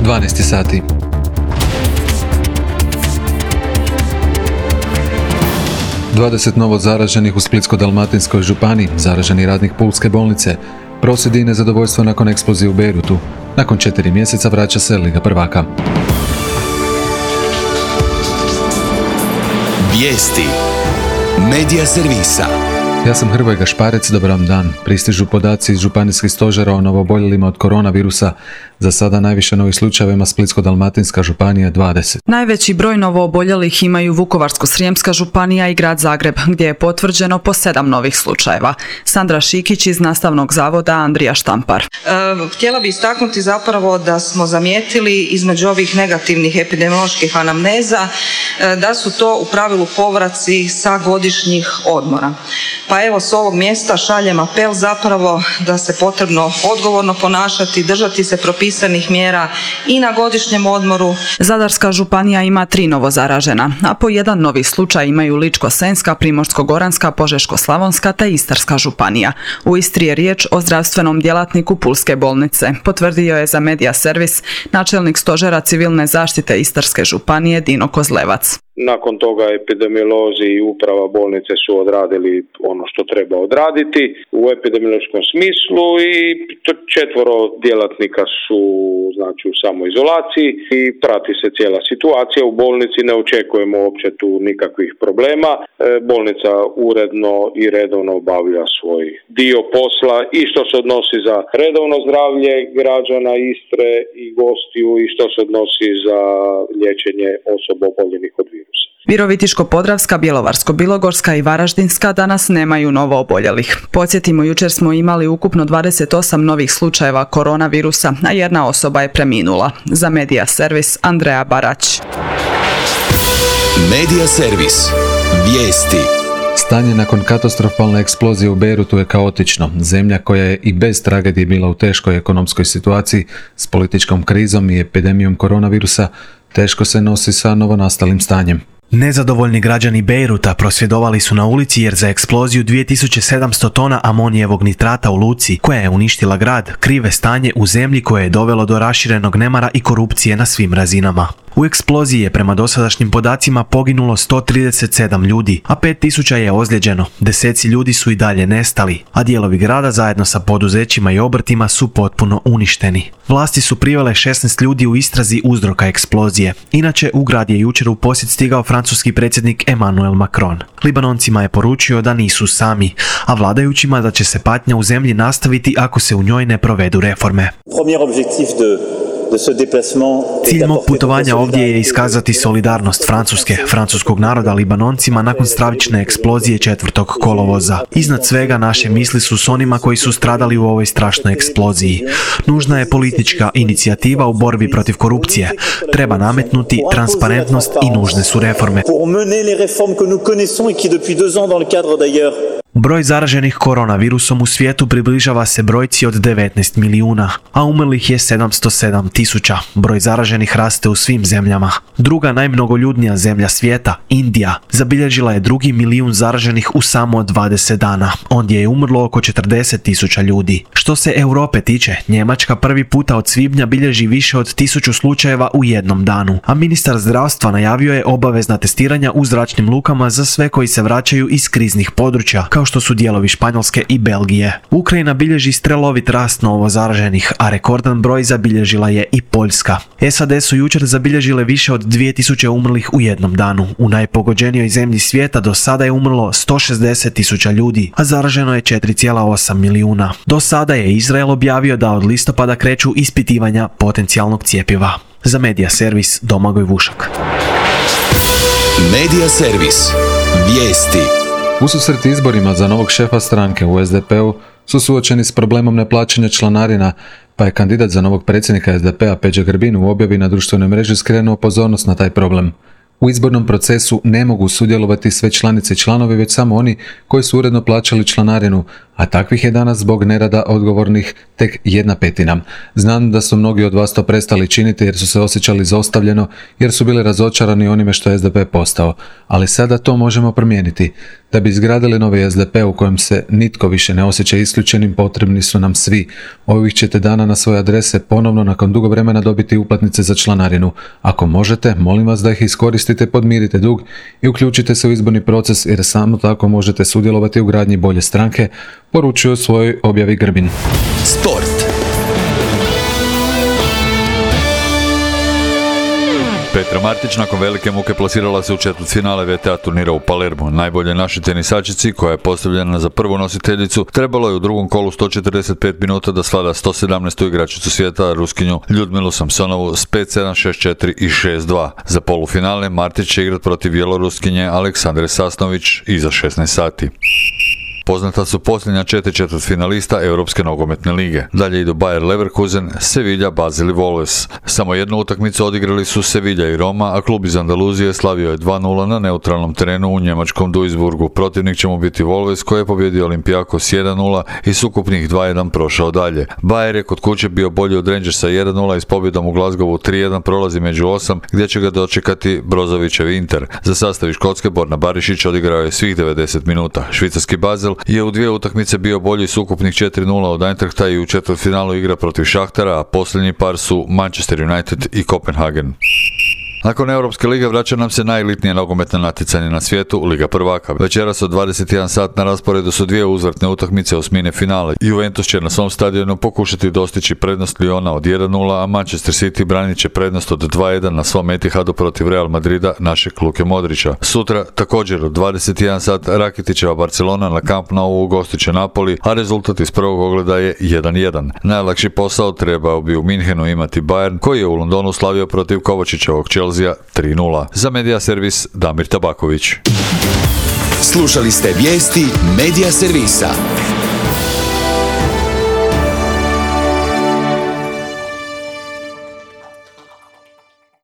12 sati. Dvadeset novo zaraženih u Splitsko-dalmatinskoj županiji, zaraženi radnik Pulske bolnice. Prosvjedi i nezadovoljstvo nakon eksplozije u Bejrutu. Nakon 4 mjeseca vraća se Liga prvaka. Vijesti Medija servisa. Ja sam Hrvoje Gašparec, dobar vam dan. Pristižu podaci iz županijskih stožera o novoboljelima od koronavirusa. Za sada najviše novih slučajevima Splitsko-dalmatinska županija 20. Najveći broj novooboljelih imaju Vukovarsko-srijemska županija i grad Zagreb, gdje je potvrđeno po 7 novih slučajeva. Sandra Šikić iz Nastavnog zavoda Andrija Štampar. Htjela bih istaknuti zapravo da smo zamijetili između ovih negativnih epidemioloških anamneza da su to u pravilu povraci sa godišnjih odmora. Pa evo s ovog mjesta šaljem apel zapravo da se potrebno odgovorno ponašati, držati se propisanih mjera i na godišnjem odmoru. Zadarska županija ima 3 novozaražena, a po 1 novi slučaj imaju Ličko-senjska, Primorsko-goranska, Požeško-slavonska te Istarska županija. U Istri je riječ o zdravstvenom djelatniku Pulske bolnice, potvrdio je za Medija servis načelnik stožera civilne zaštite Istarske županije Dino Kozlevac. Nakon toga epidemiolozi i uprava bolnice su odradili ono što treba odraditi u epidemiološkom smislu i 4 djelatnika su znači u samoizolaciji i prati se cijela situacija. U bolnici ne očekujemo uopće tu nikakvih problema. Bolnica uredno i redovno obavlja svoj dio posla i što se odnosi za redovno zdravlje građana Istre i gostiju i što se odnosi za liječenje osoba oboljelih od virusa. Virovitičko-podravska, Bjelovarsko-bilogorska i Varaždinska danas nemaju novooboljelih. Podsjetimo, jučer smo imali ukupno 28 novih slučajeva koronavirusa, a 1 osoba je preminula. Za Medija servis Andreja Barać. Medija servis. Vijesti. Stanje nakon katastrofalne eksplozije u Bejrutu je kaotično. Zemlja koja je i bez tragedije bila u teškoj ekonomskoj situaciji s političkom krizom i epidemijom koronavirusa, teško se nosi sa novonastalim stanjem. Nezadovoljni građani Bejruta prosvjedovali su na ulici jer za eksploziju 2700 tona amonijevog nitrata u luci, koja je uništila grad, krive stanje u zemlji koje je dovelo do raširenog nemara i korupcije na svim razinama. U eksploziji je prema dosadašnjim podacima poginulo 137 ljudi, a 5000 je ozlijeđeno. Deseci ljudi su i dalje nestali, a dijelovi grada zajedno sa poduzećima i obrtima su potpuno uništeni. Vlasti su privele 16 ljudi u istrazi uzroka eksplozije. Inače, u grad je jučer u posjet stigao francuski predsjednik Emmanuel Macron. Libanoncima je poručio da nisu sami, a vladajućima da će se patnja u zemlji nastaviti ako se u njoj ne provedu reforme. Cilj mog putovanja ovdje je iskazati solidarnost francuskog naroda Libanoncima nakon stravične eksplozije 4. kolovoza. Iznad svega naše misli su s onima koji su stradali u ovoj strašnoj eksploziji. Nužna je politička inicijativa u borbi protiv korupcije. Treba nametnuti transparentnost i nužne su reforme. Broj zaraženih koronavirusom u svijetu približava se brojci od 19 milijuna, a umrlih je 707.000. Broj zaraženih raste u svim zemljama. Druga najmnogoljudnija zemlja svijeta, Indija, zabilježila je 2 milijun zaraženih u samo 20 dana. Ondje je umrlo oko 40.000 ljudi. Što se Europe tiče, Njemačka prvi puta od svibnja bilježi više od 1000 slučajeva u jednom danu, a ministar zdravstva najavio je obavezna testiranja u zračnim lukama za sve koji se vraćaju iz kriznih područja, kao što su dijelovi Španjolske i Belgije. Ukrajina bilježi strelovit rast novo zaraženih, a rekordan broj zabilježila je i Poljska. SAD su jučer zabilježile više od 2000 umrlih u jednom danu. U najpogođenijoj zemlji svijeta do sada je umrlo 160.000 ljudi, a zaraženo je 4,8 milijuna. Do sada je Izrael objavio da od listopada kreću ispitivanja potencijalnog cjepiva. Za Medija servis Domagoj Vušak. Medija servis. Vijesti. Ususret izborima za novog šefa stranke u SDP-u su suočeni s problemom neplaćanja članarina, pa je kandidat za novog predsjednika SDP-a Peđa Grbin u objavi na društvenoj mreži skrenuo pozornost na taj problem. U izbornom procesu ne mogu sudjelovati sve članice i članovi, već samo oni koji su uredno plaćali članarinu, a takvih je danas zbog nerada odgovornih tek 1/5. Znam da su mnogi od vas to prestali činiti jer su se osjećali izostavljeno, jer su bili razočarani onime što je SDP postao, ali sada to možemo promijeniti. Da bi izgradili novi SDP u kojem se nitko više ne osjeća isključenim, potrebni su nam svi. Ovih ćete dana na svoje adrese ponovno nakon dugo vremena dobiti uplatnice za članarinu. Ako možete, molim vas da ih iskoristite, podmirite dug i uključite se u izborni proces jer samo tako možete sudjelovati u gradnji bolje stranke, poručuje u svojoj objavi Grbin. Sport. Petra Martić nakon velike muke plasirala se u četvrtfinale VTA turnira u Palermu. Najbolje našoj tenisačici, koja je postavljena za prvu nositeljicu, trebalo je u drugom kolu 145 minuta da svlada 117. igračicu svijeta, Ruskinju Ljudmilu Samsonovu s 5-7, 6-4 i 6-2. Za polufinale Martić će igrati protiv Bjeloruskinje Aleksandre Sasnović iza 16 sati. Poznata su posljednja 4 četvrtfinalista Europske nogometne lige. Dalje idu Bayer Leverkusen, Sevilla, Basel i Wolves. Samo jednu utakmicu odigrali su Sevilla i Roma, a klub iz Andaluzije slavio je 2-0 na neutralnom terenu u njemačkom Duisburgu. Protivnik će mu biti Wolves, koji je pobjedio Olympiakos 1-0 i s ukupnih 2-1 prošao dalje. Bayer je kod kuće bio bolji od Rangersa 1-0 i s pobjedom u Glasgowu 3-1 prolazi među 8, gdje će ga dočekati Brozovićev Inter. Za sastav iz Škotske Borna Barišić odigrao je svih 90 minuta. Švicarski Basel je u 2 utakmice bio bolji s ukupnih 4-0 od Eintrachta i u četvrtfinalu igra protiv Šahtara, a posljednji par su Manchester United i Kopenhagen. Nakon Europske lige vraća nam se najelitnije nogometno natjecanje na svijetu, Liga prvaka. Večeras od 21 sat na rasporedu su 2 uzvratne utakmice osmine finale. Juventus će na svom stadionu pokušati dostići prednost Lyona od 1-0, a Manchester City branit će prednost od 2-1 na svom Etihadu protiv Real Madrida našeg Luke Modrića. Sutra također od 21 sat Rakitićeva Barcelona na Camp Nou ugostit će Napoli, a rezultat iz prvog ogleda je 1-1. Najlakši posao trebao bi u Minhenu imati Bayern, koji je u Londonu slavio protiv Kovačićevog Chelsea 3-0. Za Medija servis Damir Tabaković. Slušali ste vijesti Medija servisa.